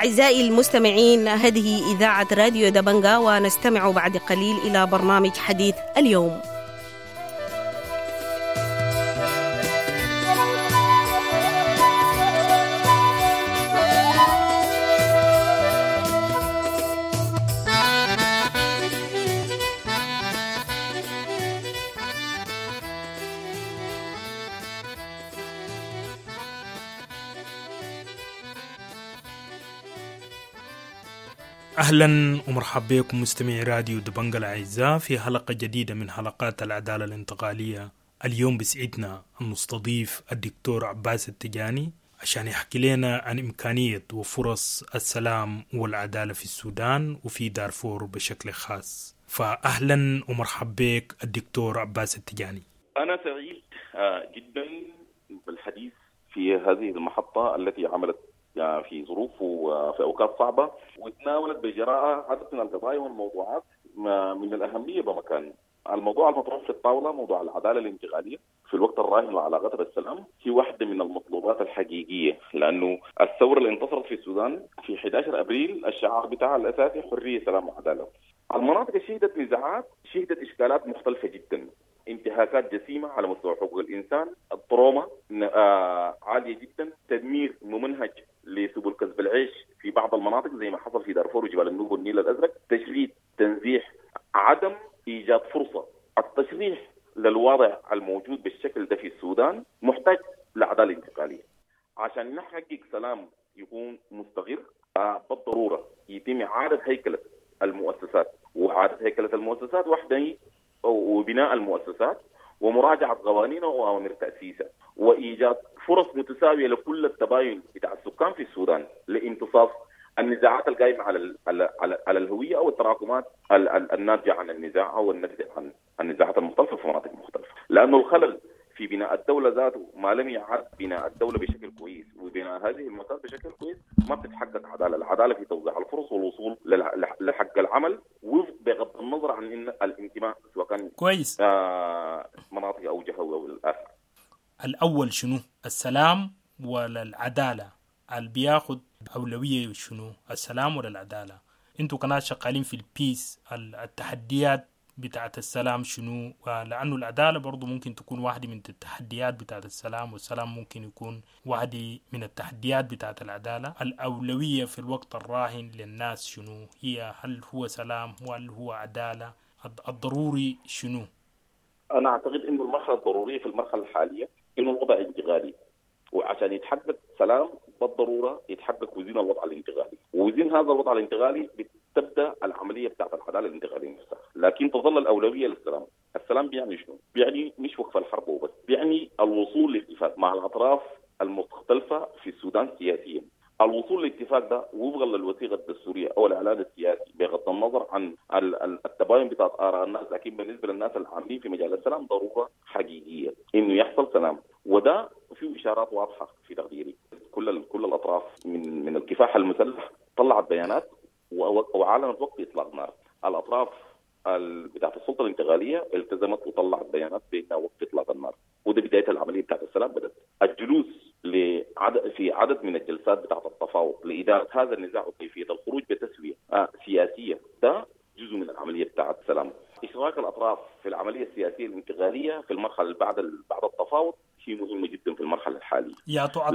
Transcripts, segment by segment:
أعزائي المستمعين، هذه إذاعة راديو دبنجا، ونستمع بعد قليل إلى برنامج حديث اليوم. أهلا ومرحبا بكم مستمعي راديو دبنجا الأعزاء في حلقة جديدة من حلقات العدالة الانتقالية. اليوم بسعدنا أن نستضيف الدكتور عباس التجاني عشان يحكي لنا عن إمكانية وفرص السلام والعدالة في السودان وفي دارفور بشكل خاص. فأهلا ومرحبا بك الدكتور عباس التجاني. أنا سعيد جدا بالحديث في هذه المحطة التي عملت في ظروف وفي أوقات صعبة وتناولت بجراءة عدد من القضايا والموضوعات من الأهمية بمكان. الموضوع المطروح في الطاولة، موضوع العدالة الانتقالية في الوقت الراهن وعلاقتها بالسلام، هي واحدة من المطلوبات الحقيقية، لأنه الثورة اللي انتصرت في السودان في 11 أبريل الشعار بتاعها الأساسي حرية سلام وعدالة. المناطق اللي شهدت نزاعات شهدت إشكالات مختلفة جدا، انتهاكات جسيمة على مستوى حقوق الإنسان، التروما عالية جدا، تدمير ممنهج لسبل كسب العيش في بعض المناطق زي ما حصل في دارفور وجبال النوبة والنيل الأزرق، تشريد، تنزيح، عدم إيجاد فرصة. التشريح للوضع الموجود بالشكل ده في السودان محتاج لعدالة انتقالية عشان نحقق سلام يكون مستقر. بالضرورة يتم إعادة هيكلة المؤسسات، وإعادة هيكلة المؤسسات واحدة وبناء المؤسسات ومراجعة قوانينها وأوامر تأسيسها، وإيجاد فرص متساوية لكل التباين بتاع السكان في السودان لامتصاص النزاعات القائمة على على الهوية أو التراكمات الناتجة عن النزاع أو الناتجة عن النزاعات المختلفة في مناطق مختلفة. لأنه الخلل في بناء الدولة ذاته ما لم يعد بناء الدولة بشكل كويس وبناء هذه المؤسسات بشكل كويس ما بتتحقق عدالة. العدالة في توزيع الفرص والوصول لحق العمل بغض النظر عن إن الانتماء سواء كان كويس مناطق أو جهوي أو الآخر. الأول شنو؟ السلام ولا العدالة؟ اللي بياخد أولوية شنو؟ السلام ولا العدالة؟ انتوا كناس شغالين في البيس، التحديات بتاعت السلام شنو؟ لأنه العدالة برضو ممكن تكون واحدة من التحديات بتاعت السلام، والسلام ممكن يكون واحدة من التحديات بتاعت العدالة. الأولوية في الوقت الراهن للناس شنو هي؟ هل هو سلام وهل هو عدالة؟ الضروري شنو؟ أنا أعتقد إنه المرحلة الضرورية في المرحلة الحالية إنه الوضع انتقالي، وعشان يتحقق سلام بالضرورة يتحقق وزين الوضع الانتقالي، ووزين هذا الوضع الانتقالي بتبدأ العملية بتاعت العدالة الانتقالية نفسها. لكن تظل الأولوية للسلام. السلام بيعني شنو؟ بيعني مش وقف الحرب وبس، بيعني الوصول لاتفاق مع الأطراف المختلفة في السودان سياسيا. الوصول للاتفاق ده وفقا للوثيقة الدستورية أو الإعلان السياسي بغض النظر عن التباين بتاعت آراء الناس، لكن بالنسبة للناس العاملين في مجال السلام ضرورة حقيقية إنه يحصل سلام، وده فيه إشارات واضحة في تقديري. كل الأطراف من الكفاح المسلح طلعت بيانات وأعلنت وقف إطلاق نار. الأطراف بتاعت السلطة الانتقالية التزمت وطلعت بيانات بأنها وقف إطلاق النار، وده بداية العملية بتاعت السلام. بدأت الجلوس في عدد من الجلسات بتاعت التفاوض لإدارة هذا النزاع وكيفية الخروج بتسوية سياسية، ده جزء من العملية بتاعت السلام. إشراك الأطراف في العملية السياسية الانتقالية في المرحلة بعد التفاوض شيء مهم جدا في المرحلة الحالية. يعطوا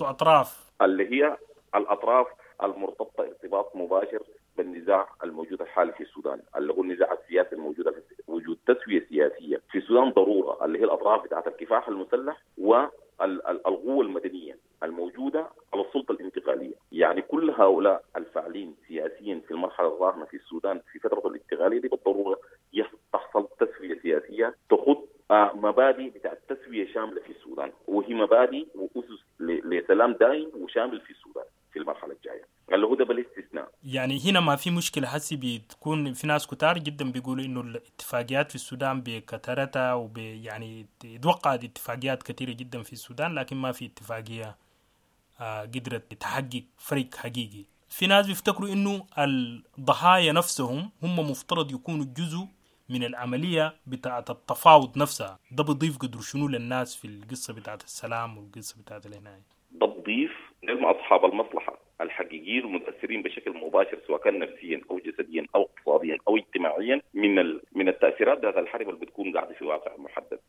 أطراف اللي هي الأطراف المرتبطة ارتباط مباشر بالنزاع الموجود الحالي في السودان، اللي هو النزاع السياسي الموجود في وجود تسوية سياسية في السودان ضرورة، اللي هي الأطراف بتاعت الكفاح المسلح والقوة المدنية الموجودة على السلطة الانتقالية. يعني كل هؤلاء الفاعلين سياسيا في المرحلة الراهنة في السودان في فترة الانتقالية دي بالضرورة تحصل تسوية سياسية تخط مبادئ بتاعت تسوية شاملة في السودان، وهي مبادئ وأسس لسلام دائم وشامل في السودان في المرحلة الجاية، اللي هو ده بالاستثناء. يعني هنا ما في مشكلة حسي، بتكون في ناس كتار جدا بيقولوا إنه الاتفاقيات في السودان بكثرتها وب يعني اتوقعت اتفاقيات كثيرة جدا في السودان، لكن ما في اتفاقية قدرت تحقق فرق حقيقي. في ناس بيفتكروا إنه الضحايا نفسهم هم مفترض يكونوا جزء من العملية بتاعة التفاوض نفسها. ده بيضيف قدر شنو للناس في القصة بتاعة السلام والقصة بتاعة الهناية؟ ده بيضيف لهم أصحاب المصلحة. الحقيقيين المتاثرين بشكل مباشر سواء كان نفسيا او جسديا او اقتصاديا او اجتماعيا من التاثيرات ذات الحرب اللي بتكون قاعدة في واقع محدد.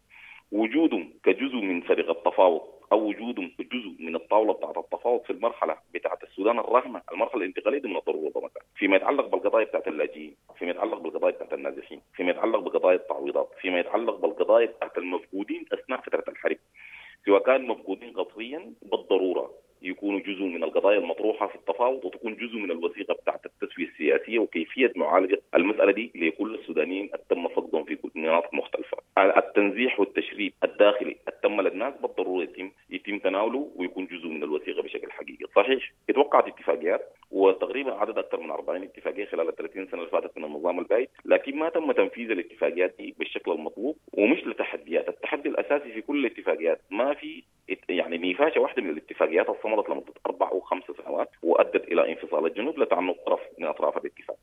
وجودهم كجزء من فريق التفاوض او وجودهم كجزء من الطاولة بتاعت التفاوض في المرحلة بتاعت السودان الراهنة، المرحلة الانتقالية دي من الضرورة طبعا، فيما يتعلق بالقضايا بتاعت اللاجئين، فيما يتعلق بالقضايا بتاعت النازحين، فيما يتعلق بقضايا التعويضات، فيما يتعلق بالقضايا بتاعت المفقودين اثناء فترة الحرب، سواء كان مفقودين قسريا بالضرورة يكونوا جزء من القضايا المطروحة في التفاوض وتكون جزء من الوثيقة بتاعت التسوية السياسية وكيفية معالجة المسالة دي لكل السودانيين تم فقدهم في مناطق مختلفة. التنزيح والتشريد الداخلي التم للناس بالضرورة يتم تناوله ويكون جزء من الوثيقة بشكل حقيقي. صحيح اتوقعت اتفاقيات وتقريبا عدد اكثر من 40 اتفاقية خلال ال 30 سنة اللي فاتت من النظام البايد، لكن ما تم تنفيذ الاتفاقيات دي بالشكل المطلوب ومش لتحديات، التحدي الاساسي في كل الاتفاقيات ما في يعني نفاشه واحدة من الاتفاقيات الصمدت لمدة 4 أو 5 سنوات وادت الى انفصال الجنوب لتعنت طرف من اطراف الاتفاق.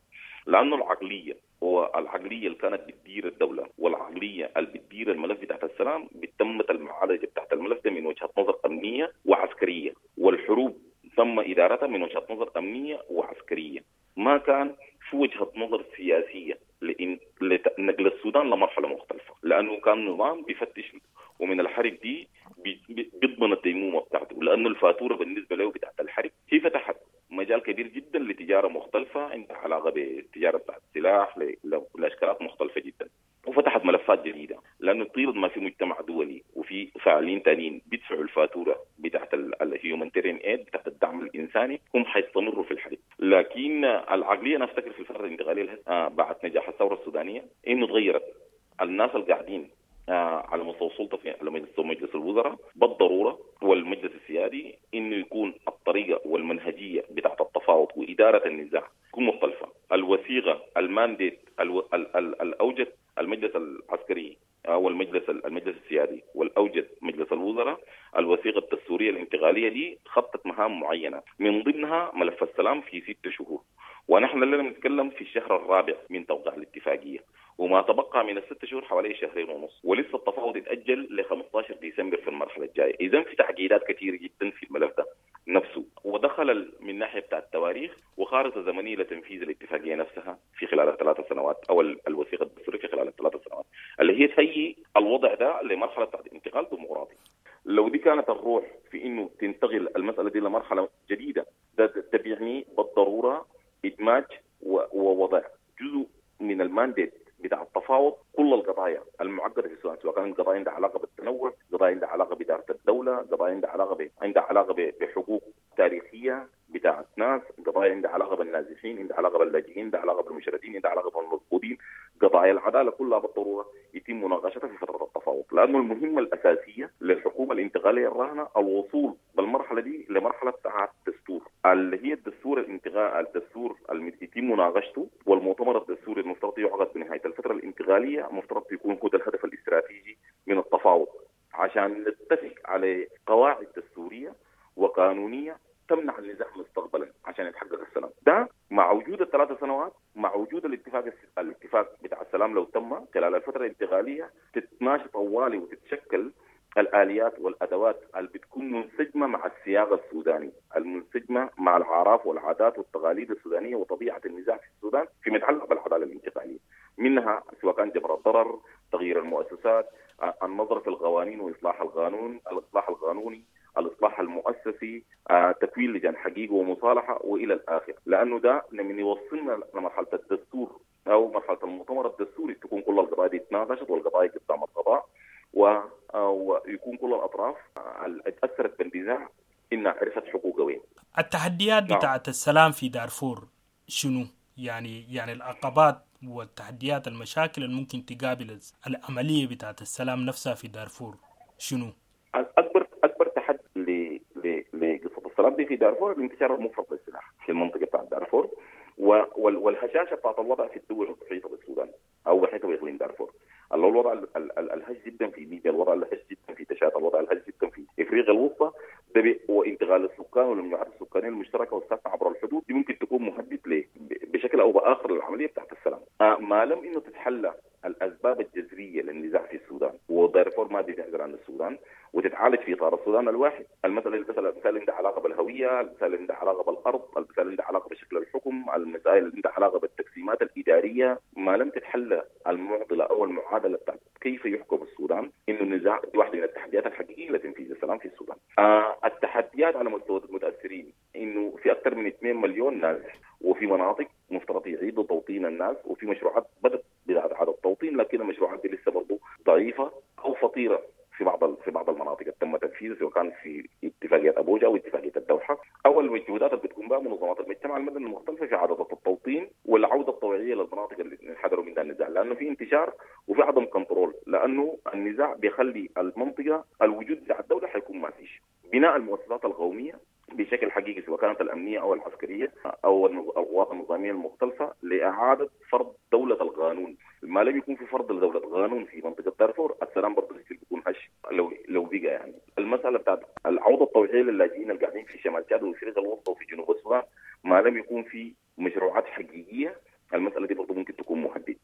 لانه العقلية والعقلية اللي كانت بتدير الدولة والعقلية اللي بتدير الملف بتاعت السلام تمت المعالجة بتاعت الملف ده من وجهه نظر امنية وعسكرية، والحروب تم ادارتها من وجهه نظر امنية وعسكرية، ما كان في وجهه نظر سياسية لنقل السودان لمرحلة مختلفة، لانه كان نظام بيفتش ومن الحرب دي بيضمن الديمومه بتاعته، لانه الفاتورة بالنسبة له بتاعت الحرب هي فتحت مجال كبير جدا لتجاره مختلفة عندها علاقة بالتجارة بتاعت السلاح لاشكالات مختلفة جدا، وفتحت ملفات جديدة، لانه طيلة ما في مجتمع دولي وفي فاعلين ثانيين بيدفعوا الفاتورة بتاعت ال humanitarian aid بتاعت الدعم الانساني هم حيستمروا في الحرب. لكن العقلية انا افتكر في الفترة الانتقالية بعد نجاح الثورة السودانية انه تغيرت. الناس اللي قاعدين على مستوى السلطة في على مستوى مجلس الوزراء بالضرورة والمجلس السيادي انه يكون الطريقة والمنهجيه بتاعت التفاوض واداره النزاع تكون مختلفة. الوثيقة ال mandate الاوجد المجلس العسكري او المجلس السيادي والاوجد مجلس الوزراء، الوثيقة الدستورية الانتقالية دي خطت مهام معينة من ضمنها ملف السلام في 6 شهور، ونحن اللي بنتكلم في الشهر الرابع من توقيع الاتفاقية، وما تبقى من ال6 شهور حوالي 2.5 شهر، ولسه التفاوض يتأجل ل 15 ديسمبر في المرحلة الجاية. اذا في تعقيدات كثيرة جدا في الملف ده نفسه، ودخل من ناحية بتاع التواريخ وخارطه زمنية لتنفيذ الاتفاقية نفسها في خلال ال3 سنوات او الوثيقة الدستورية في خلال ال3 سنوات اللي هي تهيئ الوضع ده لمرحلة بتاعت انتقال ديمقراطي. لو دي كانت الروح في انه تنتقل المسالة دي لمرحلة جديدة، ده بيعني بالضرورة ادماج ووضع جزء من ال mandate بتاع التفاوض كل القضايا المعقدة في السودان، سواء كانت قضايا عندها علاقة بالتنوع، قضايا عندها علاقة بادارة الدولة، قضايا عندها علاقة بحقوق تاريخية بتاعت ناس، قضايا عندها علاقة بالنازحين، عندها علاقة باللاجئين، عندها علاقة بالمشردين، عندها علاقة بالمفقودين، قضايا العدالة كلها بالضرورة يتم مناقشتها في فترة التفاوض، لانه المهمة الاساسية للحكومة الانتقالية الراهنة الوصول بالمرحلة دي لمرحلة بتاعت الدستور اللي هي الدستور الانتقال، الدستور اللي يتم مناقشته، والمؤتمر الدستوري المفترض يعقد بنهاية الفترة الانتقالية المفترض يكون هو الهدف الاستراتيجي من التفاوض، عشان نتفق على قواعد دستورية وقانونيه تمنع النزاع مستقبلا عشان يتحقق السلام. ده مع وجود ال3 سنوات، مع وجود الاتفاق بتاع السلام لو تم خلال الفترة الانتقالية تتماشى طوالي وتتشكل الاليات والادوات اللي بتكون منسجمه مع السياق السوداني، المنسجمه مع الاعراف والعادات والتقاليد السودانية وطبيعه النزاع في السودان فيما يتعلق بالعدالة الانتقالية، منها سواء كان جبر الضرر، تغيير المؤسسات، النظر في القوانين واصلاح القانون، الاصلاح القانوني، الاصلاح المؤسسي، تكوين لجان حقيقة ومصالحه والى الاخر، لانه ده من يوصلنا لمرحلة الدستور او مرحلة المؤتمر الدستوري تكون كل القضايا دي اتناقشت والقضايا قدام القضاء ويكون كل الاطراف اللي اتاثرت بالنزاع انها عرفت حقوقها وين. التحديات بتاعت السلام في دارفور شنو؟ يعني العقبات والتحديات، المشاكل اللي ممكن تقابل العملية بتاعت السلام نفسها في دارفور شنو؟ اكبر تحدي لقصة السلام دي في دارفور الانتشار المفرط للسلاح في المنطقة بتاعت دارفور والهشاشه بتاعت الوضع في الدول المحيطة بالسودان او محيطه باقليم دارفور. اللي هو الوضع الهش جدا في ليبيا، الوضع الهش جدا في تشاد، الوضع الهش جدا في افريقيا الوسطى، ده وانتقال السكان والمجموعات السكانية المشتركة والساكنه عبر الحدود دي ممكن تكون مهدد بشكل او باخر للعملية بتاعت السلام. ما لم انه تتحلى الاسباب الجذرية للنزاع في السودان، ودارفور ما بتعزل عن السودان وتتعالج في اطار السودان الواحد. المسالة المسائل عندها علاقة بالهوية، المسائل عندها علاقة بالارض، المسائل عندها علاقة بشكل الحكم، المسائل عندها علاقة بالتقسيمات الادارية. ما لم تتحلى المعضلة او المعادلة بتاعت كيف يحكم السودان، انه النزاع دي واحدة من التحديات الحقيقية لتنفيذ السلام في السودان. التحديات على مستوى المتاثرين انه في اكثر من 2 مليون نازح، وفي مناطق مفترض يعيدوا توطين الناس، وفي مشروعات بدات باعادة التوطين، لكن المشروعات دي لسه برضه ضعيفة او فطيره في بعض المناطق اللي تم تنفيذها، سواء كان في اتفاقية ابوجا او اتفاقية الدوحة، او المجهودات اللي بتقوم بها منظمات المجتمع المدني المختلفة في اعاده التوطين والعودة الطوعيه للمناطق اللي انحدروا منها النزاع، لانه في انتشار وفي عدم control، لانه النزاع بيخلي المنطقة الوجود بتاع الدولة حيكون ما فيش. بناء المؤسسات القومية بشكل حقيقي سواء كانت الامنية او العسكرية او القوات النظامية المختلفة لاعادة فرض دولة القانون. ما لم يكون في فرض لدولة قانون في منطقة دارفور السلام برضه بيكون هش لو بقى. يعني المسالة بتاعت العودة الطوعيه للاجئين القاعدين في شمال تشاد وافريقيا الوسطى وفي جنوب السودان، ما لم يكون في مشروعات حقيقية المسالة دي برضه ممكن تكون مهدد.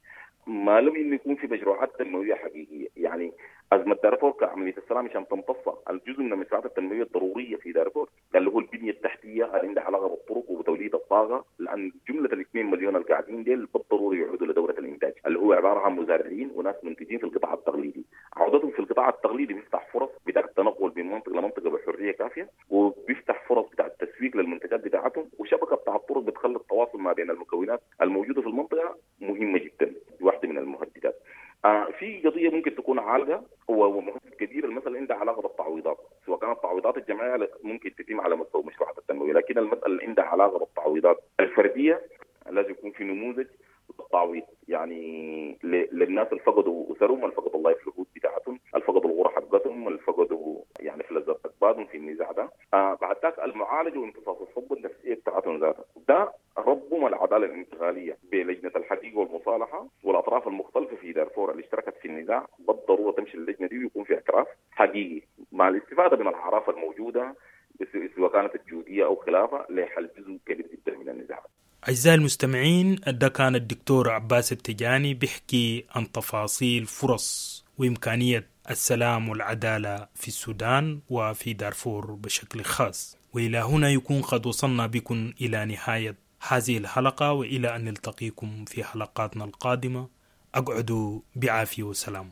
ما لم انه يكون في مشروعات تنموية حقيقية، يعني ازمة دارفور كعمليه السلام عشان تمتص الجزء من المشروعات التنموية الضرورية في دارفور اللي هو البنية التحتية اللي عندها علاقة بالطرق وبتوليد الطاقة، لان جملة ال 2 مليون القاعدين ديل بالضرورة يعودوا لدوره الانتاج اللي هو عبارة عن مزارعين وناس منتجين في القطاع التقليدي. عودتهم في القطاع التقليدي بيفتح فرص بتاع التنقل من منطقة لمنطقه بحرية كافيه، وبيفتح فرص بتاع التسويق للمنتجات بتاعتهم، وشبكة بتاع الطرق بتخلي التواصل ما بين المكونات الموجودة في المنطقة مهمة جدا، واحدة من المهددات. في قضية ممكن تكون عالقة ومهم كبير، المسالة عندها علاقة بالتعويضات، سواء كانت التعويضات الجماعية ممكن تتم على مستوى مشروعات التنموية، لكن المسالة اللي عندها علاقة بالتعويضات الفردية لازم يكون في نموذج للتعويض، يعني للناس اللي فقدوا اسرهم، اللي فقدوا ال livelihood بتاعتهم، اللي فقدوا الغرة حقتهم، اللي فقدوا يعني فلذات اكبادهم في النزاع ده. بعد ذاك المعالجة وامتصاص الصدمة النفسية بتاعتهم ذاتها، ده ربما العدالة الانتقالية بلجنه الحقيقة والمصالحة والاطراف المختلفة في دارفور اللي اشتركت في النزاع بالضرورة تمشي اللجنة دي ويكون في اعتراف حقيقي مع الاستفادة من الاعراف الموجودة سواء كانت الجوديه او خلافه لحل جزء كبير جدا من النزاع. أعزائي المستمعين، ده كان الدكتور عباس التجاني بيحكي عن تفاصيل فرص وإمكانية السلام والعدالة في السودان وفي دارفور بشكل خاص. وإلى هنا يكون قد وصلنا بكم إلى نهاية هذه الحلقة، وإلى أن نلتقيكم في حلقاتنا القادمة أقعدوا بعافية وسلام.